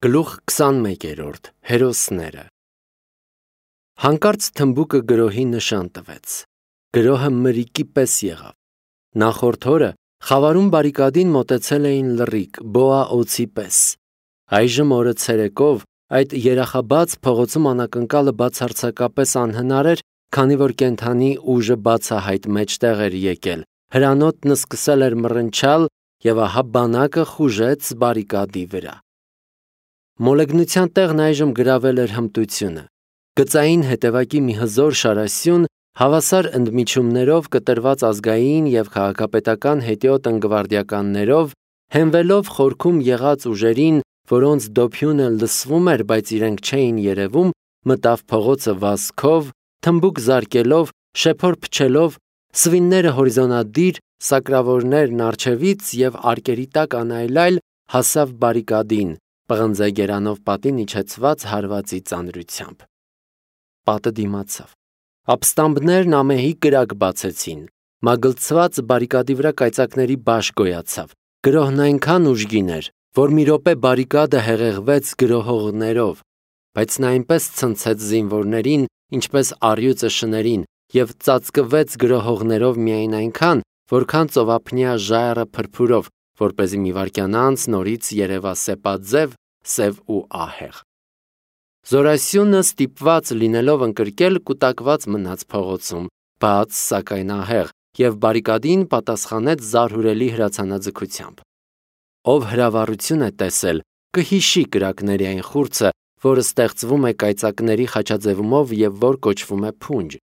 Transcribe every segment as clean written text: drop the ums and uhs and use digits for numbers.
Գլուխ 21 Հերոսները Հանկարծ թմբուկը գրոհի նշան տվեց։ Գրոհը մրիկի պես եղավ։ Նախորդ օրը խավարում բարիկադին մոտեցել էին լռիկ, բոա օձի պես։ Այժմ օրը ցերեկով այդ երախաբաց փողոցում անակնկալը բացարձակապես անհնար էր, քանի որ կենդանի ուժը բացահայտ մեջտեղ էր եկել։ Հրանոթն սկսել էր մռնչալ եւ ահա բանակը խուժեց բարիկադի վրա։ Մոլեգնության տեղն այժմ գրավել էր հմտությունը։ Գծային հետևակի մի հզոր շարասյուն հավասար ընդմիջումներով կտրված ազգային եւ քաղաքապետական հետիոտ ընկվարդիականներով, հենվելով խորքում եղած ուժերին, որոնց դոփյունը լսվում էր, բայց իրենք չէին երևում, մտավ փողոցը վազքով, թմբուկ զարկելով, շեփոր փչելով, սվինները հորիզոնադիր, սակրավորներն առջևից եւ արկերի տակ անայլայլ հասավ բարիկադին, պղնձեգերանով պատին իջեցված հարվածի ծանրությամբ։ Պատը դիմացավ։ Ապստամբներն ամեհի կրակ բացեցին։ Մագլցված բարիկադի վրա կայծակների բաշ գոյացավ։ Գրոհն այնքան ուժգին էր, որ մի րոպե բարիկադը հեղեղվեց գրոհողներով, բայց նա այնպես ցնցեց զինվորներին, ինչպես առյուծը շներին, եւ ծածկվեց գրոհողներով միայն այնքան, որքան ծովափնյա ժայռը փրփուրով, որպեսզի մի վայրկյան անց նորից երևա սեպաձև, սև ու ահեղ։ Զորասյունը ստիպված լինելով ընկրկել կուտակված մնաց փողոցում, բաց, սակայն ահեղ, եւ բարիկադին պատասխանեց զարհուրելի հրացանաձգությամբ։ Ով հրավառություն է տեսել, կհիշի կրակների այն խուրձը, որը ստեղծվում է կայծակների խաչաձևումով եւ որ կոչվում է փունջ։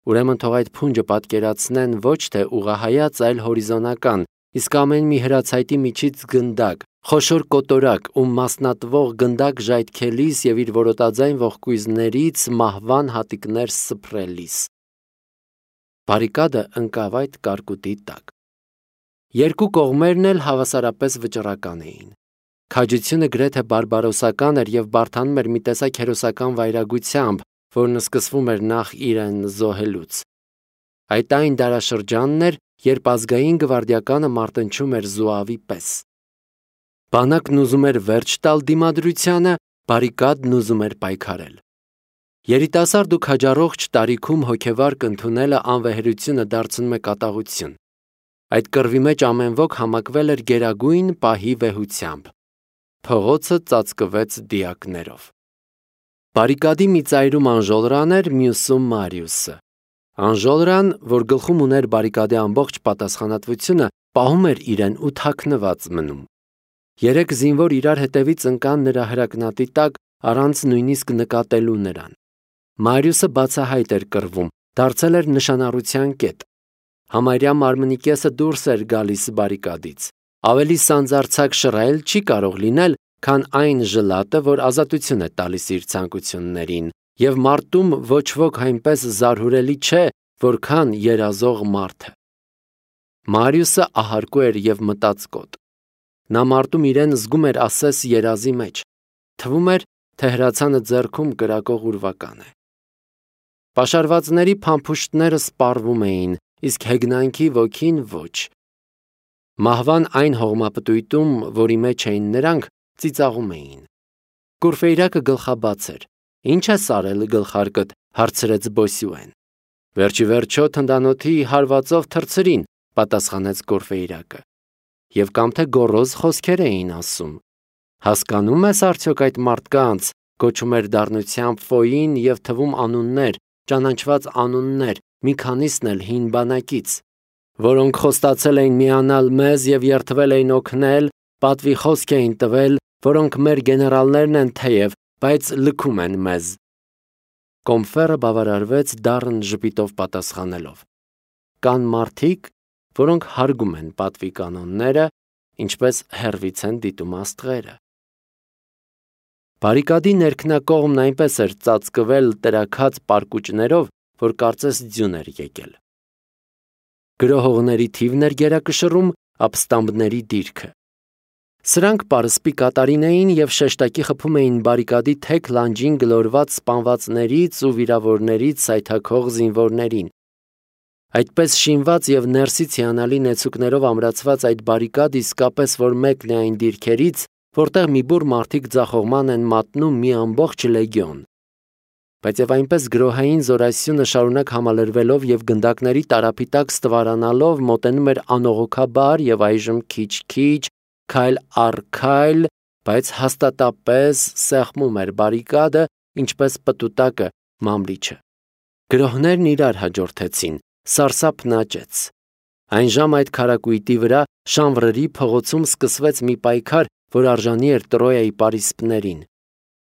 Ուրեմն թող այդ փունջը պատկերացնեն ոչ թե ուղղահայաց, այլ հորիզոնական, իսկ ամեն մի հրացայտի միջից գնդակ, խոշոր կոտորակ, ում մասնատվող գնդակ ժայթքելիս եւ իր որոտաձայն ողկույզներից մահվան հատիկներ սփռելիս։ Բարիկադը ընկավ այդ կարկուտի տակ։ Երկու կողմերն էլ հավասարապես վճռական էին։ Քաջությունը գրեթե բարբարոսական էր եւ բարթանում էր մի տեսակ հերոսական վայրագությամբ, որն սկսվում էր նախ իրեն զոհելուց։ Այդ այն դարաշրջանն էր, երբ ազգային գվարդիականը մարտնչում էր զուավի պես։ Բանակն ուզում էր վերջ տալ դիմադրությանը, բարիկադն ուզում էր պայքարել։ Երիտասարդ ու քաջառողջ տարիքում հոգեվար կընդունելը անվեհերությունը դարձնում է կատաղություն։ Այդ կռվի մեջ ամեն ոք համակվել էր գերագույն պահի վեհությամբ։ Փողոցը ծածկվեց դիակներով։ Բարիկադի մի ծայրում Անժոլրան էր, մյուսում Մարիուսը։ Անժոլրան, որ գլխում ուներ բարիկադի ամբողջ պատասխանատվությունը, պահում էր իրեն ու թաքնված մնում։ Երեք զինվոր իրար հետևից ընկան նրա հրակնատի տակ, առանց նույնիսկ նկատելու նրան։ Մարիուսը բացահայտ էր կռվում, դարձել էր նշանառության կետ։ Համարյա մարմնի կեսը դուրս էր գալիս բարիկադից։ Ավելի սանձարձակ շռայլ չի կարող լինել, քան այն ժլատը, որ ազատություն է տալիս իր ցանկություններին, եւ մարտում ոչ ոք այնպես զարհուրելի չէ, որքան երազող մարդը։ Մարիուսը ահարկու էր եւ մտածկոտ։ Նա մարտում իրեն զգում էր ասես երազի մեջ։ Թվում էր, թե հրացանը ձեռքում կրակող ուրվական է։ Պաշարվածների փամփուշտները սպառվում էին, իսկ հեգնանքի ոգին ոչ։ Մահվան այն հողմապտույտում, որի մեջ էին նրանք, ծիծաղում էին։ Կուրֆեյրակը գլխաբաց էր։ Ինչ ես արել գլխարկդ, հարցրեց Բոսյուեն։ Վերջի վերջո թնդանոթի հարվածով թռցրին, պատասխանեց Կուրֆեյրակը։ Եվ կամ թե գոռոզ խոսքեր էին ասում։ Հասկանում ես արդյոք այդ մարդկանց, կոչում էր դառնությամբ Ֆոյին եւ թվում անուններ, ճանաչված անուններ, մի քանիսն էլ հին բանակից, որոնք խոստացել էին միանալ մեզ եւ երդվել էին օգնել, պատվի խոսք էին տվել, որոնք մեր գեներալներն են թեև, բայց լքում են մեզ։ Կոմֆերը բավարարվեց դառն ժպիտով պատասխանելով։ Կան մարդիկ, որոնք հարգում են պատվի կանոնները, ինչպես հեռվից են դիտում աստղերը։ Բարիկադի ներքնակողմն այնպես էր ծածկվել տրաքած պարկուճներով, որ կարծես ձյուն էր եկել։ Գրոհողների թիվն էր գերակշռում, ապստամբների դիրքը։ Սրանք պարսպի կատարին էին եւ շեշտակի խփում էին բարիկադի թեք լանջին գլորված սպանվածներից ու վիրավորներից սայթաքող զինվորներին։ Այդպես շինված եւ ներսից հիանալի նեցուկներով ամրացված այդ բարիկադ իսկապես որ մեկն է այն դիրքերից, որտեղ մի բուռ մարդիկ ձախողման են մատնում մի ամբողջ լեգիոն։ Բայց եւ այնպես գրոհային զորասյունը շարունակ համալրվելով եւ գնդակների տարափի տակ ստվարանալով մոտենում էր անողոքաբար եւ այժմ քիչ-քիչ, քայլ առ քայլ, բայց հաստատապես սեղմում էր բարիկադը, ինչպես պտուտակը մամլիչը։ Գրոհներն իրար հաջորդեցին, սարսափն աճեց։ Այն ժամ այդ քարակույտի վրա Շանվրերի փողոցում սկսվեց մի պայքար, որ արժանի էր Տրոյայի պարիսպներին։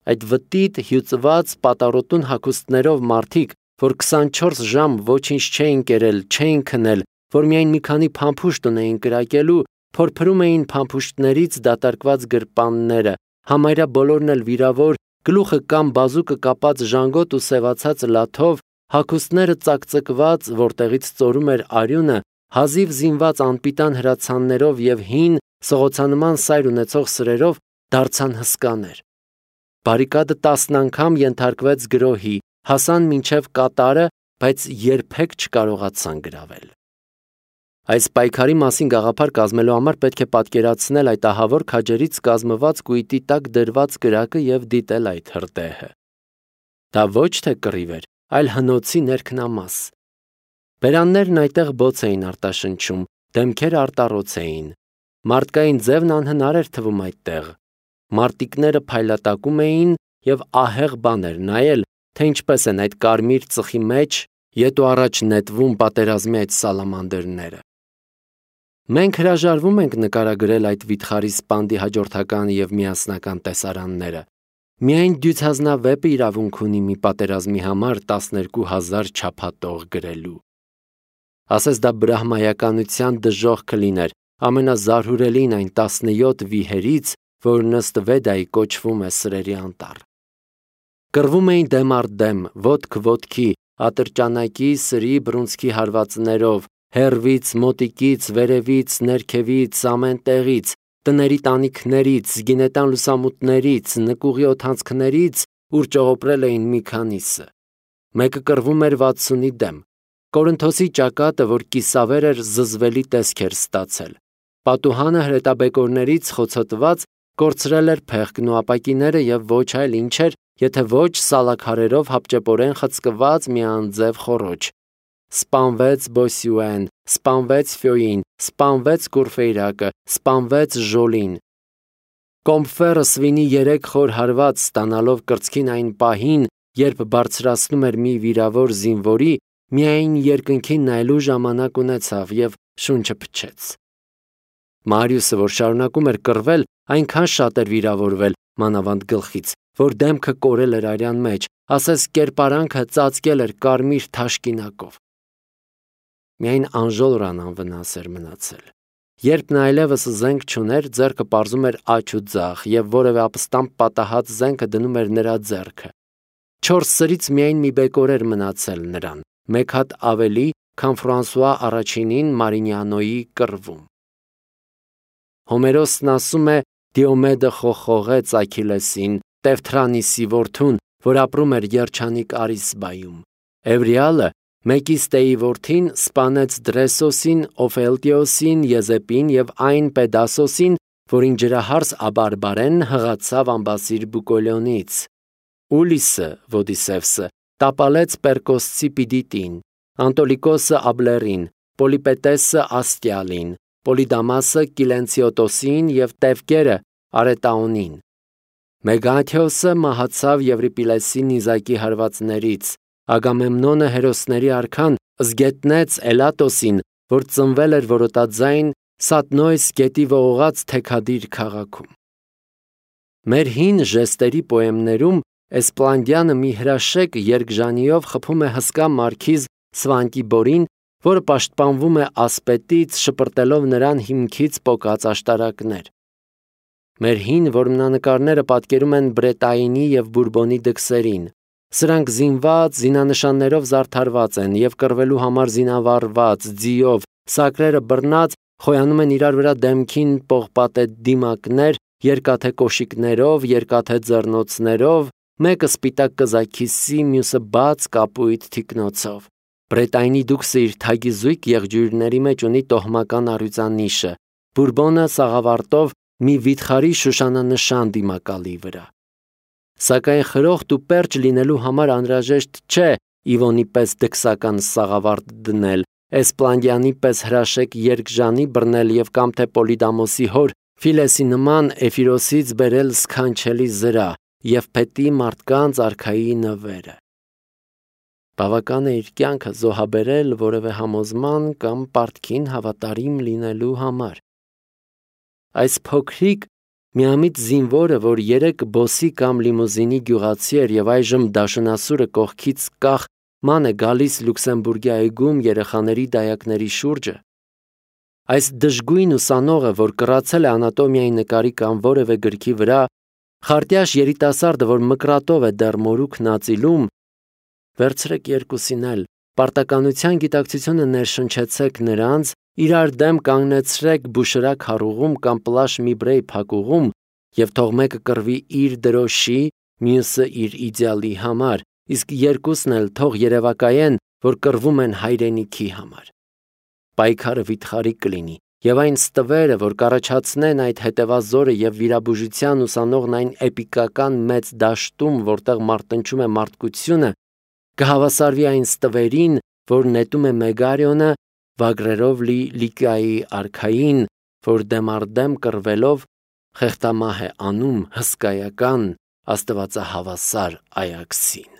Այդ վտիտ հյուծված պատառոտուն հագուստներով մարդիկ, որ 24 ժամ ոչինչ չէին կերել, չէին քնել, որ միայն մի քանի փամփուշտ ունեին կրակելու, փորփրում էին փամփուշտներից դատարկված գրպանները, համարյա բոլորն էլ վիրավոր, գլուխը կամ բազուկը կապած ժանգոտ ու սևացած լաթով, հագուստները ծակծկված, որտեղից ծորում էր արյունը, հազիվ զինված անպիտան հրացաններով եւ հին սղոցանման սայր ունեցող սրերով դարձան հսկաներ։ Բարիկադը 10 անգամ ենթարկվեց գրոհի, հասան մինչև կատարը, բայց երբեք չկարողացան գրավել։ Այս պայքարի մասին գաղափար կազմելու համար պետք է պատկերացնել այդ ահավոր քաջերից կազմված կույտի տակ դրված կրակը եւ դիտել այդ հրդեհը։ Դա ոչ թե կռիվ էր, այլ հնոցի ներքնամաս։ Բերաններն այդտեղ բոց էին արտաշնչում, դեմքերը արտառոց էին։ Մարդկային ձևն անհնար էր թվում այդտեղ։ Մարտիկները փայլատակում էին եւ ահեղ բան էր նայել, թե ինչպես են այդ կարմիր ծխի մեջ ետ ու առաջ նետվում պատերազմի այդ սալամանդերները։ Մենք հրաժարվում ենք նկարագրել այդ վիթխարի սպանդի հաջորդական եւ միասնական տեսարանները։ Միայն դյուցազնավեպը իրավունք ունի մի պատերազմի համար 12,000 չափատող գրելու։ Ասես դա բրահմայականության դժոխք կլիներ, ամենազարհուրելին այն 17 վիհերից, որն ըստ Վեդայի կոչվում է սրերի անտառ։ Կռվում էին դեմ առ դեմ, ոտք ոտքի, ատրճանակի, սրի, բռունցքի հարվածներով, հեռվից, մոտիկից, վերևից, ներքևից, ամեն տեղից, տների տանիքներից, զգինետան լուսամուտներից, նկուղի օդանցքներից, ուր ճողոպրել էին մի քանիսը։ Մեկը կռվում էր 60-ի դեմ։ Կորինթոսի ճակատը, որ կիսավեր էր, զզվելի տեսք էր ստացել։ Պատուհանը հրետաբեկորներից խոցոտված կորցրել էր փեղկն ու ապակիները եւ ոչ այլ ինչ էր, եթե ոչ սալաքարերով հապճեպորեն խցկված մի անձև խոռոչ։ Սպանվեց Բոսյուեն, սպանվեց Ֆյոին, սպանվեց Կուրֆեյրակը, սպանվեց Ժոլին։ Կոմֆերը Սվինի 3 խոր հարված ստանալով կրծքին այն պահին, երբ բարձրացնում էր մի վիրավոր զինվորի, միայն երկնքին նայելու ժամանակ ունեցավ եւ շունչը փչեց։ Մարիուսը, որ շարունակում էր կռվել, այնքան շատ էր վիրավորվել մանավանդ գլխից, որ դեմքը կորել էր արյան մեջ, ասես կերպարանքը ծածկել էր կարմիր թաշկինակով։ Միայն անժոլրան անվնաս էր մնացել։ Երբ նա այլևս զենք չուներ, ձեռքը պարզում էր աջ ու ձախ եւ որևէ ապստամբ պատահած զենքը դնում էր նրա ձեռքը։ 4 սրից միայն մի բեկոր էր մնացել նրան, մեկ հատ ավելի, քան Ֆրանսուଆ առաջինին Մարինյանոյի կռվում։ Հոմերոսն ասում է. Դիոմեդը խոխողեց Աքիլեսին, Տևթրանիսի որդուն, որ ապրում էր երջանիկ Արիսբայում։ Էվրիալը Մեկիստեի որդին սպանեց Դրեսոսին, Օֆելտիոսին, Եզեպին եւ այն Պեդասոսին, որին ջրահարս Աբարբարեն հղացավ ամբասիր Բուկոլյոնից։ Ուլիսը, Ոդիսևսը, տապալեց Պերկոսցի Պիդիտին, Անտոլիկոսը Աբլերին, Պոլիպետեսը Աստիալին, Պոլիդամասը Կիլենցիոտոսին եւ Տևկերը Արետաոնին։ Մեգաթիոսը մահացավ Եվրիպիլեսի նիզակի հարվածներից։ Ագամեմնոնը հերոսների արքան զգետնեց Էլատոսին, որ ծնվել էր որոտաձայն Սատնոյս գետի ողողած թեքադիր քաղաքում։ Մեր հին ժեստերի պոեմներում Էսպլանդյանը մի հրաշեք երկժանիով խփում է հսկա մարքիզ Սվանտիբորին, որը պաշտպանվում է ասպետից, շպրտելով նրան հիմքից պոկած աշտարակներ։ Մեր հին որմնանկարները պատկերում են Բրետայինի եւ Բուրբոնի դքսերին։ Սրանք զինված, զինանշաններով զարդարված են եւ կռվելու համար զինավառված, ձիով, սակրերը բռնած, խոյանում են իրար վրա դեմքին պողպատե դիմակներ, երկաթե կոշիկներով, երկաթե ձեռնոցներով, մեկը սպիտակ կզաքիսի, մյուսը բաց կապույտ թիկնոցով։ Բրետայինի դուքսը իր թագի զույգ եղջյուրների մեջ ունի տոհմական առյուծանիշը, Բուրբոնը սաղավարտով մի վիթխարի շուշանանշան դիմակալի վրա։ Սակայն խրոխտ ու պերճ լինելու համար անհրաժեշտ չէ Իվոնի պես դքսական սաղավարտ դնել, Էսպլանդյանի պես հրաշեք երկժանի բռնել և կամ թե Պոլիդամոսի հոր Ֆիլեսի նման Էֆիրոսից բերել սքանչելի զրա և փետի մարդկանց արքայի նվերը։ Բավական է իր կյանքը զոհաբերել որևէ համոզման կամ պարտքին հավատարիմ լինելու համար։ Այս փոքրիկ միամիտ զինվորը, որ երեկ բոսի կամ լիմուզինի գյուղացի էր և այժմ դաշնասուրը կողքից կախ ման է գալիս Լյուքսեմբուրգի այգում երեխաների դայակների շուրջը, այս դժգույն ուսանողը, որ կռացել է անատոմիայի նկարի կամ որևէ գրքի վրա, խարտյաշ երիտասարդը, որ մկրատով է դեռ մորուքն ածիլում, վերցրեք երկուսին էլ, պարտականության գիտակցությունը ներշնչեցեք նրանց, իրար դեմ կանգնեցրեք բուշրակ հարուղում կամ պլաշ մի բրեյ փակուղում և թող մեկը կռվի իր դրոշի, մյուսը իր իդեալի համար, իսկ երկուսն էլ թող երևակայեն, որ կռվում են հայրենիքի համար։ Պայքարը վիթխարի կլինի, և այն ստվերը, որ կառաջացնեն այդ հետևազորը և վիրաբուժության ուսանողն այն էպիկական մեծ դաշտում, որտեղ մարտնչում է մարդկությունը, կհավասարվի այն ստվերին, որ նետում է Մեգարիոնը վագրերով լի Լիկիայի արքային, որ դեմ առ դեմ կռվելով խեղդամահ է անում հսկայական աստվածահավասար Այաքսին։